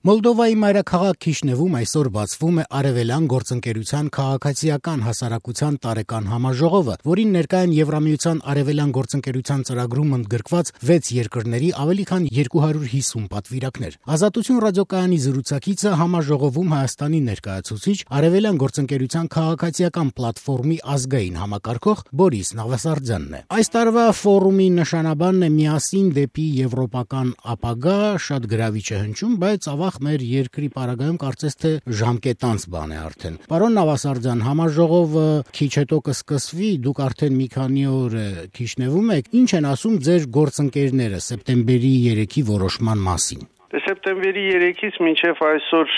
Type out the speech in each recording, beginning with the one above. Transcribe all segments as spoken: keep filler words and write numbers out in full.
Մոլդովայի մայրաքաղաք Քիշնևում այսօր բացվում է Արևելյան գործընկերության քաղաքացիական հասարակության տարեկան համաժողովը, որին ներկա են Եվրամիության Արևելյան գործընկերության ծրագրում ընդգրկված վեց երկրների ավելի քան երկու հարյուր հիսուն պատվիրակներ։ Ազատություն ռադիոկայանի զրուցակիցը համաժողովում Հայաստանի ներկայացուցիչ Արևելյան գործընկերության քաղաքացիական պլատֆորմի ազգային համակարգող Բորիս Նավասարդյանն է։ Այս տարվա ֆորումի նշանաբանն է միասին դեպի եվրոպական ապագա, շատ գրավիչ է հնչում, բայց ավաղ մեր երկրի պարագայում կարծես թե ժամկետանց բան է արդեն։ Պարոն Նավասարդյան, համաժողովը քիչ հետո կսկսվի, դուք արդեն մի քանի օր Քիշնևում եք, ինչ են ասում ձեր գործընկերները սեպտեմբերի երեքի որոշման մասին։ Սեպտեմբերի երեքից մինչև այսօր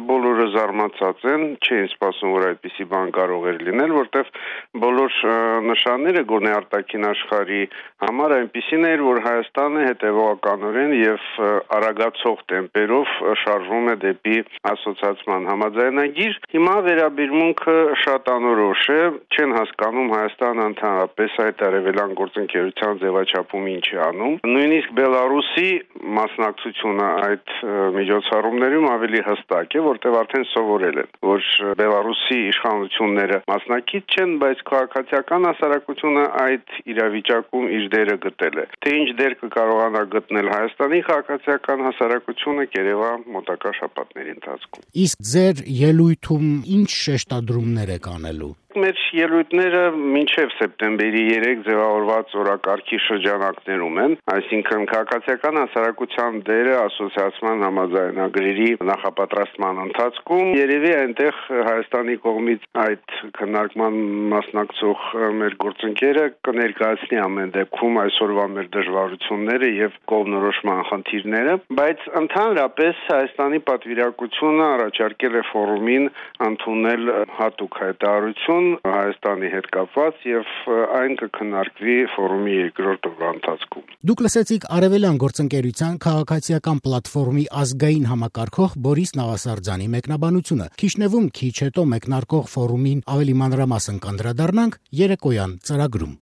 բոլորը զարմացած են, չէին սպասում, որ այդպիսի բան կարող էր լինել, որտեղ բոլոր նշանները գոնե արտաքին աշխարհի համար այնպիսին էր, որ Հայաստանը հետևողականորեն եւ արագացող տեմպերով շարժվում է դեպի ասոցիացիան համաձայնագիր։ Հիմա վերաբերմունքը շատ անորոշ է, չեն հասկանում Հայաստանը ընդհանրապես այդ արևելյան գործընկերության ձևաչափում ինչ է անում։ Նույնիսկ Բելարուսի մասնակցությունը այդ միջոցառումներում ավելի հստակ է, որտեղ արդեն սովորել են, որ Բելարուսի իշխանությունները մասնակից չեն, բայց քաղաքացիական հասարակությունը այդ իրավիճակում իր դերը գտել է։ Թե ինչ դեր կկարողանա գտնել Հայաստանի քաղաքացիական հասարակությունը կերևա մոտակա շաբաթների ընթացքում։ Իսկ ձեր ելույթում ինչ շեշտադրումներ եք անելու։ Մեր ելույթները մինչև սեպտեմբերի երեք ձևավորված օրակարգի շրջանակներում են, այսինքն քաղաքացիական հասարակության դերը ասոցիացիան համաձայնագրերի նախապատրաստման ընթացքում երևի այնտեղ Հայաստանի կողմից այդ քննարկման մասնակցող մեր գործընկերը կներկայացնի ամեն դեպքում այսօրվա մեր դժվարությունները եւ կողմնորոշման խնդիրները, բայց ընդհանրապես Հայաստանի պատվիրակությունը առաջարկել է ֆորումին ընդունել հատուկ հայտարարություն Հայաստանի հետ կապված եւ այն կքննարկվի ֆորումի երկրորդ օրվա ընթացքում։ Դուք լսեցիք Արևելյան գործընկերության քաղաքացիական պլատֆորմի ազգային համակարգող Բորիս Նավասարդյանի մեկնաբանությունը։ Քիշնևում քիչ հետո մեկնարկող ֆորումին ավելի մանրամասն կանդրադառնանք երեկոյան ծրագրում։